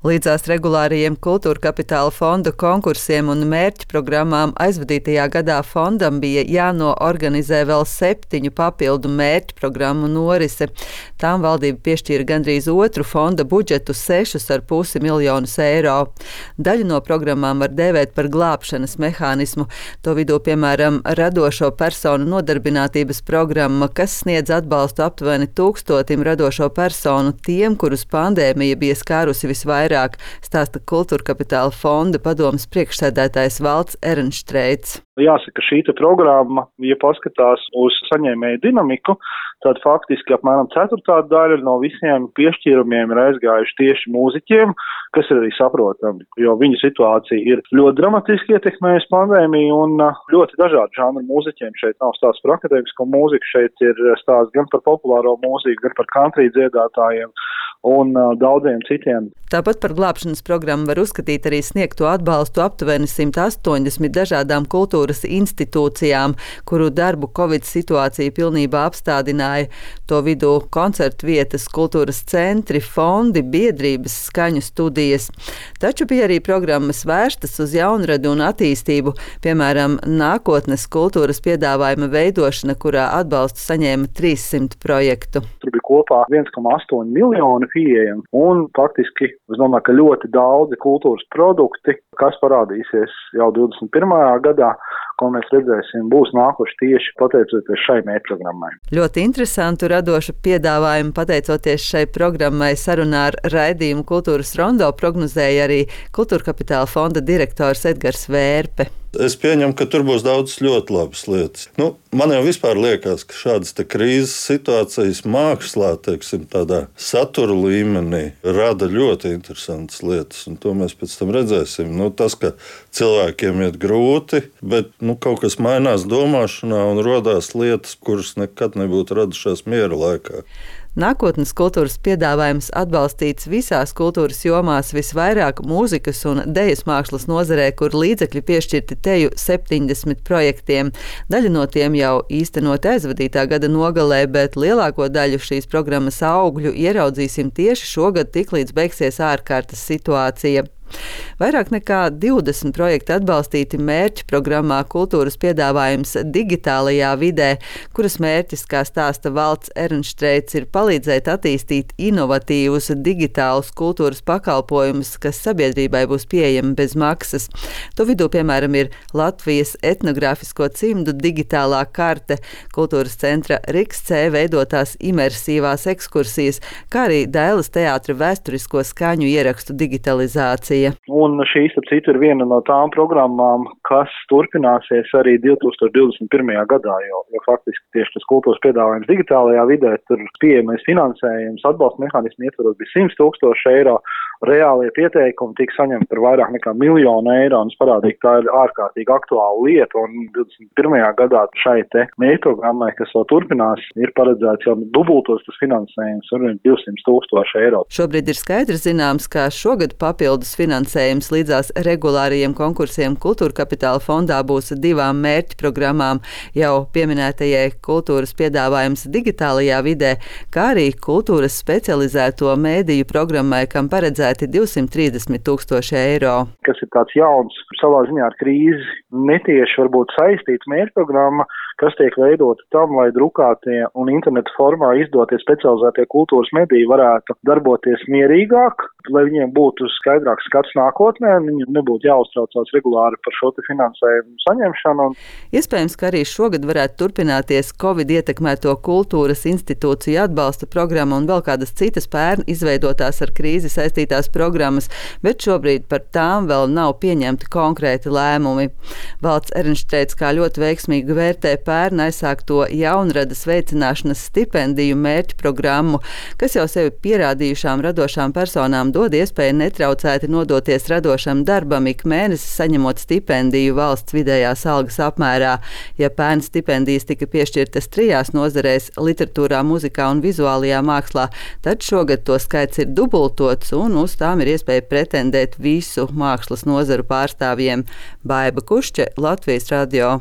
Līdzās regulārajiem Kultūra Kapitāla fonda konkursiem un mērķu programmām aizvadītajā gadā fondam bija jānoorganizē vēl 7 papildu mērķu programmu norise. Tām valdība piešķīra gandrīz otru fonda budžetu 6,5 miljonus eiro. Daļu no programmām var dēvēt par glābšanas mehānismu. To vidū, piemēram, radošo personu nodarbinātības programma, kas sniedz atbalstu aptuveni 1000 radošo personu tiem, kurus pandēmija bija skārusi visvairāk. Stāsta Kultūra Kapitāla fonda padomes priekšsēdētājs Valds Ehrenštreits. Jāsaka, šī programma, ja paskatās uz saņēmēju dinamiku, tad faktiski apmēram 1/4 daļa no visiem piešķīrumiem ir aizgājuši tieši mūziķiem, kas ir arī saprotami, jo viņu situācija ir ļoti dramatiski ietekmējusi pandēmiju un ļoti dažādu žanru mūziķiem. Šeit nav stāsts par akadēmisko mūziku, šeit ir stāsts gan par populāro mūziku, gan par country dziedātājiem un daudziem citiem. Tāpat par glābšanas programmu var uzskatīt arī sniegto atbalstu aptuveni 180 dažādām kultūras institūcijām, kuru darbu Covid situācija pilnībā apstādināja. To vidū koncertu vietas, kultūras centri, fondi, biedrības, skaņu studijas. Taču bija arī programmas vērstas uz jaunradu un attīstību, piemēram, nākotnes kultūras piedāvājuma veidošana, kurā atbalstu saņēma 300 projektu. Tur bija kopā 1,8 miljoni pieejami un faktiski, es domāju, ka ļoti daudzi kultūras produkti, kas parādīsies jau 21. gadā, ko mēs redzēsim, būs nākuši tieši pateicoties šai mērķprogrammai. Ļoti interesantu radošu piedāvājumu pateicoties šai programmai sarunā ar raidījumu Kultūras rondo prognozēja arī Kultūra Kapitāla fonda direktors Edgars Vērpe. Es pieņemu, ka tur būs daudz ļoti labas lietas. Man jau vispār liekas, ka šādas krīzes situācijas mākslā, tādā satura līmenī, rada ļoti interesantas lietas, un to mēs pēc tam redzēsim. Tas, ka cilvēkiem iet grūti, bet kaut kas mainās domāšanā un rodās lietas, kuras nekad nebūtu radušās miera laikā. Nākotnes kultūras piedāvājums atbalstīts visās kultūras jomās, visvairāk mūzikas un dejas mākslas nozarē, kur līdzekļi piešķirti teju 70 projektiem. Daļa no tiem jau īstenot aizvadītā gada nogalē, bet lielāko daļu šīs programmas augļu ieraudzīsim tieši šogad, tiklīdz beigsies ārkārtas situācija. Vairāk nekā 20 projekti atbalstīti mērķu programmā Kultūras piedāvājums digitālajā vidē, kuras mērķis, kā stāsta Valds Ehrenštreits, ir palīdzēt attīstīt inovatīvus digitālus kultūras pakalpojumus, kas sabiedrībai būs pieejami bez maksas. To vidū, piemēram, ir Latvijas etnogrāfisko cimdu digitālā karte, kultūras centra RIKS-C veidotās imersīvās ekskursijas, kā arī Dailes teātra vēsturisko skaņu ierakstu digitalizācija. Un šī, starp citu, ir viena no tām programmām, kas turpināsies arī 2021. gadā, jo faktiski tieši tas kultūras piedāvājums digitālajā vidē, tur pieejamais finansējums, atbalsta mehānismu ietvaros bija 100 000 eiro. Reālie pieteikumi tika saņemti par vairāk nekā 1 miljonu eiro, un es parādīju, ka tā ir ārkārtīgi aktuāla lieta, un 21. gadā šai mērķprogrammai, kas vēl turpinās, ir paredzēts jau dubultos tas finansējums, un 200 000 eiro. Šobrīd ir skaidrs zināms, ka šogad papildus finansējums līdzās regulārajiem konkursiem Kultūra Kapitāla fondā būs 2 mērķu programmām, jau pieminētajai kultūras piedāvājums digitālajā vidē, kā arī kultūras specializēto mēdīju programmai, kam paredzēts 230 000 eiro. Kas ir tāds jauns, savā ziņā ar krīzi netieši varbūt saistīts mērķprogramma, kas tiek veidota tam, lai drukātie un interneta formā izdotie specializētie kultūras mediji varētu darboties mierīgāk, lai viņiem būtu skaidrāks skats nākotnē, viņiem nebūtu jāuztraucās regulāri par šo finansējumu saņemšanu. Iespējams, ka arī šogad varētu turpināties Covid ietekmēto kultūras institūciju atbalsta programma un vēl kādas citas pērn izveidotās ar krīzi saistītās programmas, bet šobrīd par tām vēl nav pieņemti konkrēti lēmumi. Valds Ehrenštreits kā ļoti veiksmīgi vērtē pērn aizsākto jaunradas veicināšanas stipendiju mērķu programmu, kas jau sevi pierādījušām radošām personām dod iespēju netraucēti nodoties radošam darbam, ik mēnesi saņemot stipendiju valsts vidējās algas apmērā. Ja pērn stipendijas tika piešķirtas 3 nozarēs - literatūrā, muzikā un vizuālajā mākslā, tad šogad to skaits ir dubultots un uz tām ir iespēja pretendēt visu mākslas nozaru pārstāvjiem. Baiba Kušķe, Latvijas radio.